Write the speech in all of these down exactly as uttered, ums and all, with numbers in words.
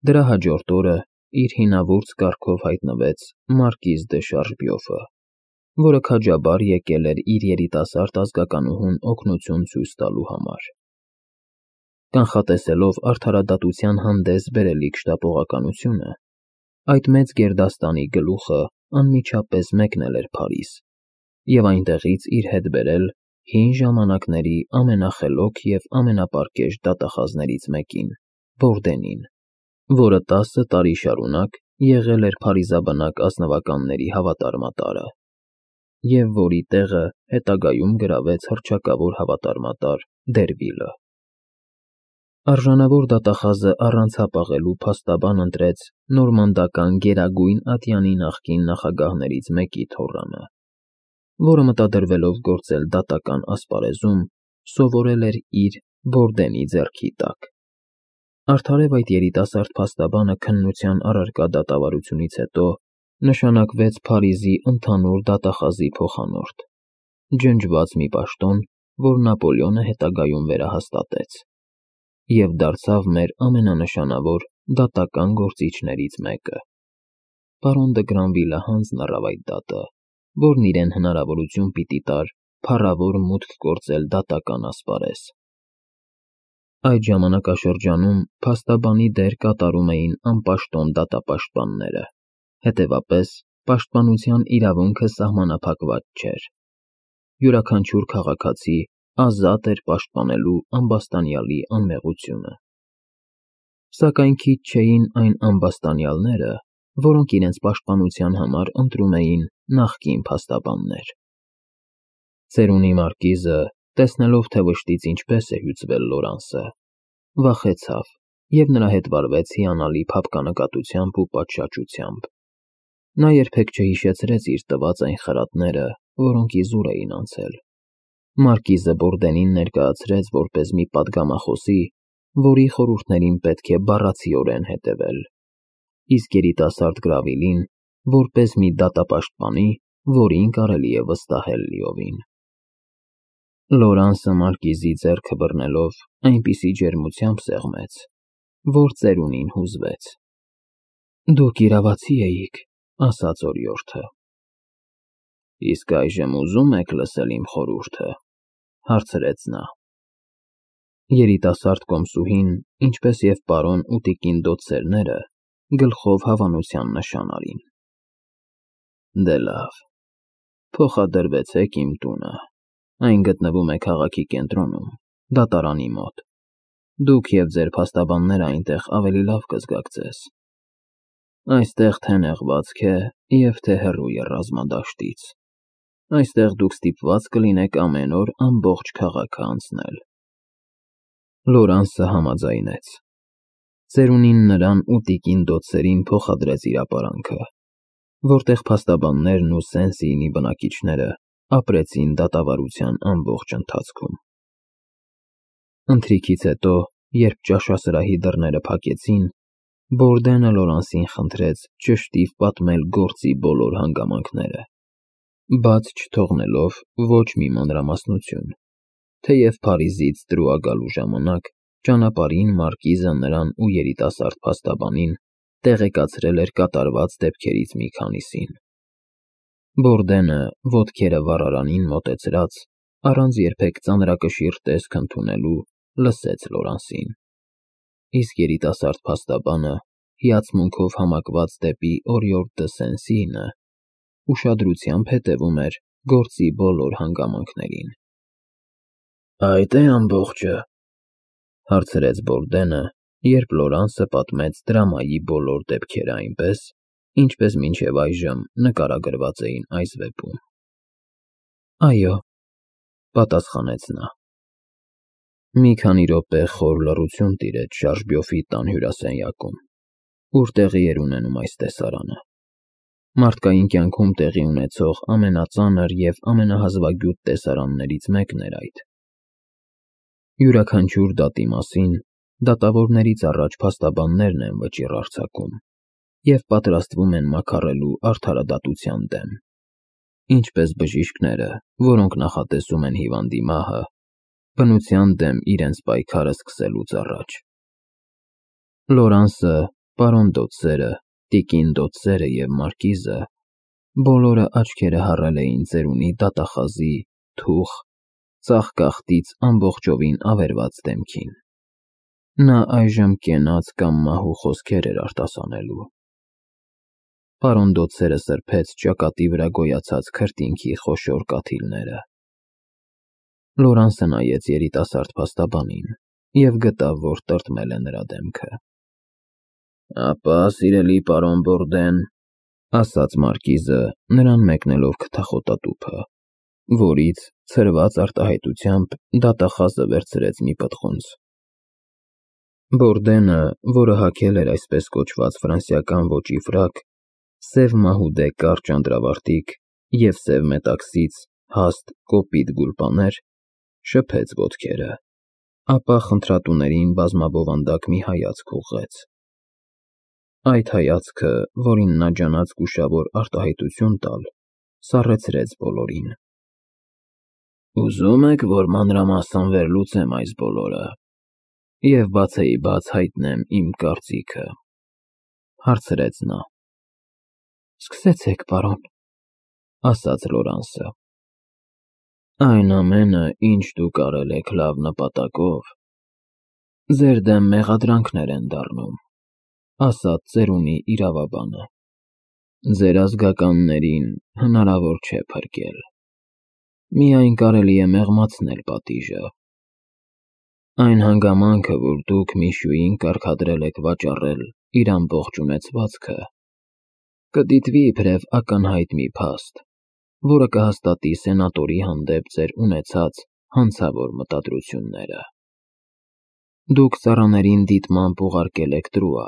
Դրա հաջորդ օրը իր հինավուրց կարգով հայտնվեց մարկիզ դե Շարժբյոֆը, որը քաջաբար եկել էր իր երիտասարդ ազգականուհուն օգնություն ցույց տալու համար։ Կանխատեսելով արդարադատության հանդես բերելիք շտապողականությունը, այդ մեծ գերդաստանի գլուխը անմիջապես մեկնել էր Փարիզ և այնտեղից իր հետ բերել հին ժամանակների ամենախելոք և ամենապարկեշտ դատախազներից մեկին՝ Բորդենին, որը տասը տարի շարունակ եղել էր փարիզաբնակ ազնվականների հավատարմատարը և որի տեղը հետագայում գրավեց հռչակավոր հավատարմատար Դերվիլը։ Արժանավոր դատախազը առանց հապաղելու փաստաբան ընտրեց նորմանդական Գերագույն ատյանի նախկին նախագահներից մեկի թոռանը, որը մտադրվելով գործել դատական ասպարեզում, սովորել էր իր Բորդենի ձեռքի տակ։ Արդարև այդ երիտասարդ փաստաբանը քննության առարկա դատավարությունից հետո նշանակվեց Փարիզի ընդհանուր դատախազի փոխանորդ, ջնջված մի պաշտոն, որ Նապոլեոնը հետագայում վերահաստատեց, և դարձավ մեր ամենանշանավոր դատական գործիչներից մեկը։ Պարոն դը Գրանվիլը հանձն առավ այդ դատը, որն իրեն հնարավորություն պիտի տար փառավոր մուտք գործել դատական ասպարեզ։ Այդ ժամանակաշրջանում փաստաբանի դեր կատարում էին անպաշտոն դատապաշտպանները, հետևապես պաշտպանության իրավունքը սահմանափակված չէր։ Յուրաքանչյուր քաղաքացի ազատ էր պաշտպանելու ամբաստանյալի անմեղությունը։ Սակայն քիչ չէին այն ամբաստանյալները, որոնք իրենց պաշտպանության համար ընտրում էին նախկին փաստաբաններ։ Ծերունի մարկիզը, տեսնելով, թե վշտից ինչպես է հյուծվել Լորանսը, վախեցավ և նրա հետ վարվեց հիանալի փափկանկատությամբ ու պատշաճությամբ։ Նա երբեք չհիշեցրեց իր տված այն խրատները, որոնք իզուր էին անցել։ Մարկիզը Բորդենին ներկայացրեց որպես մի պատգամախոսի, որի խորհուրդներին պետք է բառացիորեն հետևել, իսկ երիտասարդ Գրավիլին՝ որպես մի դատապաշտպանի, որին կարելի է վստահել լիովին։ Լորանսը մարկիզի ձեռքը բռնելով այնպիսի ջերմությամբ սեղմեց, որ ծերունին հուզվեց։ «Դուք իրավացի էիք», ասաց օրիորդը։ «Իսկ այժմ ուզո՞ւմ եք լսել իմ խորհուրդը», հարցրեց նա։ Երիտասարդ կոմսուհին, ինչպես և պարոն ու տիկին դոցերները, գլխով հավանության նշան արին։ «Դե լավ, փոխադրվեցեք իմ տունը, այն գտնվում է քաղաքի կենտրոնում, դատարանի մոտ։ Դուք և ձեր փաստաբանները այնտեղ ավելի լավ կզգաք ձեզ։ Այստեղ թե նեղվածք է և թե հեռու է ռազմադաշտից։ Այստեղ դուք ստիպված կլինեք ամեն օր ամբողջ քաղաքը անցնել»։ Լորանսը համաձայնեց։ Ծերունին նրան ու տիկին դոցերին փոխադրեց իր ապարանքը, որտեղ փաստաբաններն ու Սեն-Սիինի բնակիչները ապրեցին դատավարության ամբողջ ընթացքում։ Ընթրիքից հետո, երբ ճաշասրահի դռները փակեցին, Բորդենը Լորանսին խնդրեց ճշտիվ պատմել գործի բոլոր հանգամանքները, բաց չթողնելով ոչ մի մանրամասնություն, թեև Փարիզից Տրուա գալու ժամանակ ճանապարհին մարկիզը նրան ու երիտասարդ փաստաբանին տեղեկացրել էր կատարված դեպքերից մի քանիսին։ Բորդենը, ոտքերը վառարանին մոտեցրած, առանց երբեք ծանրակշիռ տեսք ընդունելու, լսեց Լորանսին, իսկ երիտասարդ փաստաբանը, հիացմունքով համակված դեպի օրիորդ դը Սեն-Սիինը, ուշադրությամբ հետևում էր գործի բոլոր հանգամանքներին։ «Այդ է ամբողջը», հարցրեց Բորդենը, երբ Լորանսը պատմեց դրամայի բոլոր դեպքերը այնպես, ինչպես մինչև այժմ նկարագրված էին այս վեպում։ «Այո», պատասխանեց նա։ Մի քանի րոպե խոր լռություն տիրեց Շարժբյոֆի տան հյուրասենյակում, ուր տեղի էր ունենում այս տեսարանը։ Մարդկային կյանքում տեղի ունեցող ամենածանր և ամենահազվագյուտ տեսարաններից մեկն էր այդ։ Յուրաքանչյուր դատի մասին դատավորներից առաջ փաստաբաններն են վճիռ արձակում և պատրաստվում են մաքարելու արդարադատության դեմ, ինչպես բժիշկները, որոնք նախատեսում են հիվանդի մահը, բնության դեմ իրենց պայքարը սկսելուց առաջ։ Լորանսը, Պարոն Դոթսերը, տիկին Դոթսերը և մարկիզը բոլորը աչքերը հառել էին ծերունի դատախազի, թուխ, ծաղկախտից ամբողջովին ավերված դեմքին։ Նա այժմ կենաց կամ մահու խոսքեր էր արտասանելու։ Պարոն Դոթսերը սրբեց ճակատի վրա գոյացած քրտինքի խոշոր կաթիլները։ Լորանսը նայեց երիտասարդ փաստաբանին և գտավ, որ տրտմել է նրա դեմքը։ «Ապա, սիրելի պարոն Բորդեն,» ասաց մարկիզը, նրան մեկնելով քթախոտատուփը, որից, ցրված արտահայտությամբ, դատախազը վերցրեց մի պտղունց։ Բորդենը, որը հագել էր այսպես կոչված ֆրանսիական ոճի ֆրակ, սև մահուդե կարճ անդրավարտիք և սև մետաքսից հաստ կոպիտ գուլպաներ, շփեց ոտքերը, ապա խնդրատուներին բազմաբովանդակ մի հայացք ուղղեց։ Այդ հայացքը, որին նա ջանաց զգուշավոր արտահայտություն տալ, սառեցրեց բոլորին։ «Ուզում եք, որ մանրամասն վերլուծեմ այս բոլորը և բացեիբաց հայտնեմ իմ կարծիքը,֊ հարցրեց նա։ «Սկսեցեք, պարոն», ասաց Լորանսը։ «Այն ամենը, ինչ դուք արել եք լավ նպատակով, ձեր դեմ մեղադրանքներ են դառնում,֊ ասաց ծերունի իրավաբանը։ Ձեր ազգականներին հնարավոր չէ փրկել։ Միայն կարելի է մեղմացնել պատիժը։ Այն հանգամանքը, որ դուք Միշուին կարգադրել եք վաճառել իր ամբողջ ունեցվածքը, կդիտվի իբրև ակնհայտ մի փաստ, որը կհաստատի սենատորի հանդեպ ձեր ունեցած հանցավոր մտադրությունները։ Դուք ծառաներին դիտմամբ ուղարկել եք Տրուա,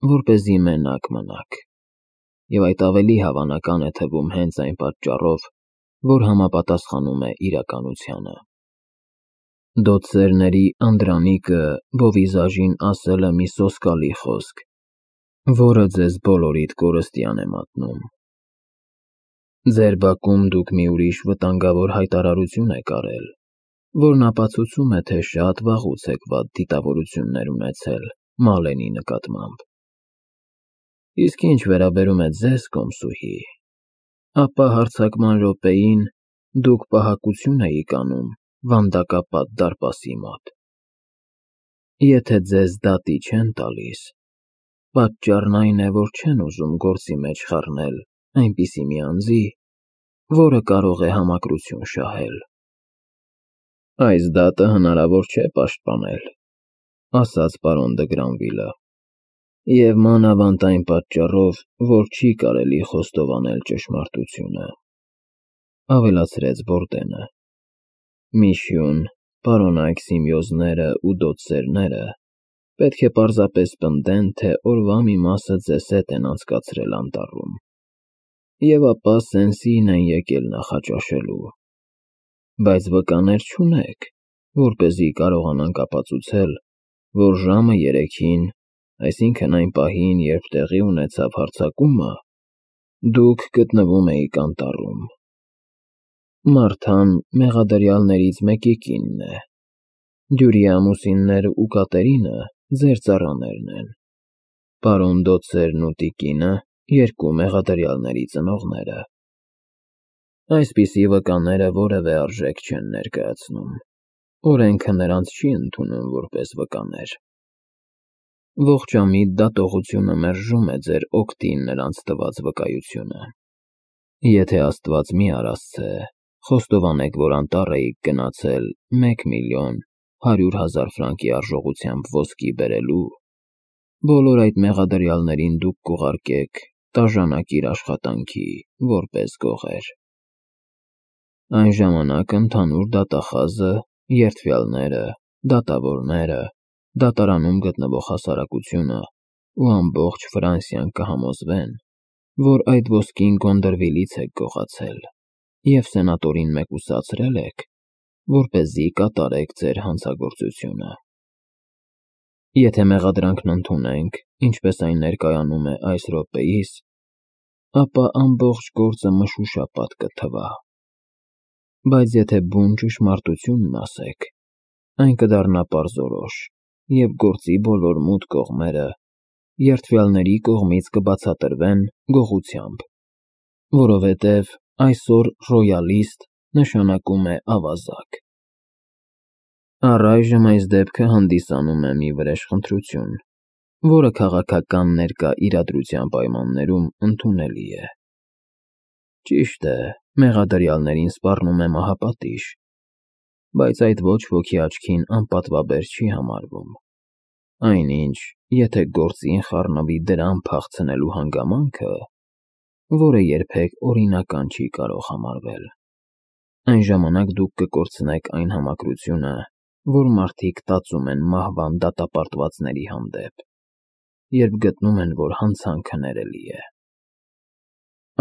որպեսզի մենակ մնաք, և այդ ավելի հավանական է թվում հենց այն պատճառով, որ համապատասխանում է իրականությանը։ Դոթսերների Անդրանիկը Բովիզաժին ասել է մի սոսկալի խոսք, որը ձեզ բոլորիդ կորստյան է մատնում։ Ձեր բակում դուք մի ուրիշ վտանգավոր հայտարարություն եք արել, որն ապացուցում է, թե շատ վաղուց եք վատ դիտավորություններ ունեցել Մալենի նկատմամբ։ Իսկ ինչ վերաբերում է ձեզ, կոմսուհի, ապա հարձակման րոպեին դուք պահակություն էիք անում վանդակապատ դարպասի մոտ։ Եթե ձեզ դատի չեն տալիս, պատճառն այն է, որ չեն ուզում գործի մեջ խառնել այնպիսի մի անձի, որը կարող է համակրություն շահել։ Այս դատը հնարավոր չէ պաշտպանել, ասաց պարոն Դը Գրանվիլը, և մանավանդ այն պատճառով, որ չի կարելի խոստովանել ճշմարտությունը,֊ ավելացրեց Բորդենը։ Միշյուն, պարոնայք Սիմեոզները ու Դոթսերները պետք է պարզապես պնդեն, թե օրվա մի մասը ձեզ հետ են անցկացրել անտառում, և ապա Սեն-Սիին են եկել նախաճաշելու, բայց վկաներ չունեք, որպեսզի կարողանանք ապացուցել, որ ժամը երեքին, այսինքն այն պահին, երբ տեղի ունեցավ հարձակումը, դուք գտնվում էիք անտառում։ Մարթան մեղադրյալներից մեկի կինն է, Դյուրիի ամուսինները ու Կատերինը ձեր ծառաներն են, պարոն Դոթսերն ու տիկինը երկու մեղադրյալների ծնողները։ Այսպիսի վկաները որևէ արժեք չեն ներկայացնում, օրենքը նրանց չի ընդունում որպես վկաներ։ Ողջամիտ դատողությունը մերժում է ձեր օգտին նրանց տված վկայությունը։ Եթե Աստված մի արասցե, խոստովանեք, որ անտառ էիք գնացել մեկ միլիոն հարյուր հազար ֆրանկի արժողությամբ ոսկի բերելու, բոլոր այդ մեղադրյալներին դուք կուղարկեք տաժանակիր աշխատանքի որպես գողեր։ Այն ժամանակ ընդհանուր դատախազը, երդվյալները, դատավորները, դատարանում գտնվող հասարակությունը ու ամբողջ Ֆրանսիան կհամոզվեն, որ այդ ոսկին Գոնդրվիլից եք գողացել և սենատորին մեկուսացրել եք, որպեսզի կատարեք ձեր հանցագործությունը։ Եթե մեղադրանքն ընդունենք, ինչպես այն ներկայանում է այս րոպեիս, ապա ամբողջ գործը մշուշապատ կթվա, բայց եթե բուն ճշմարտությունն ասեք, այն կդառնա պարզորոշ, և գործի բոլոր մութ կողմերը երդվյալների կողմից կբացատրվեն գողությամբ, որովհետև այսօր «ռոյալիստ» նշանակում է ավազակ։ Առայժմ այս դեպքը հանդիսանում է մի վրեժխնդրություն, որը քաղաքական ներկա իրադրության պայմաններում ընդունելի է։ Ճիշտ է, մեղադրյալներին սպառնում է մահապատիժ, բայց այդ ոչ ոքի աչքին անպատվաբեր չի համարվում, այնինչ, եթե գործին խառնվի դրան փախցնելու հանգամանքը, որը երբեք օրինական չի կարող համարվել, այն ժամանակ դուք կկորցնեք այն համակրությունը, որ մարդիկ տածում են մահվան դատապարտվածների հանդեպ, երբ գտնում են, որ հանցանքը ներելի է։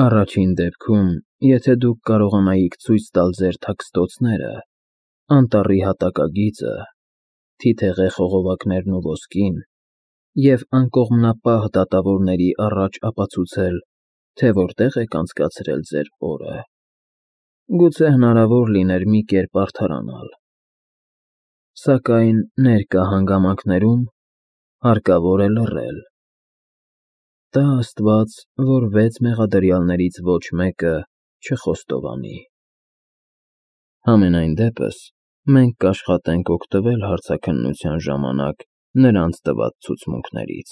Առաջին դեպքում, եթե դուք կարողանայիք ցույց տալ ձեր թաքստոցները, անտառի հատակագիծը, թիթեղե խողովակներն ու ոսկին և անկողմնապահ դատավորների առաջ ապացուցել, թե որտեղ եք անցկացրել ձեր օրը, գուցե հնարավոր լիներ մի կերպ արդարանալ, սակայն ներկա հանգամանքներում հարկավոր է լռել։ Տա աստված, որ վեց մեղադրյալներից ոչ մեկը չխոստովանի։ Համենայն դեպս, մենք կաշխատենք օգտվել հարցաքննության ժամանակ նրանց տված ցուցմունքներից։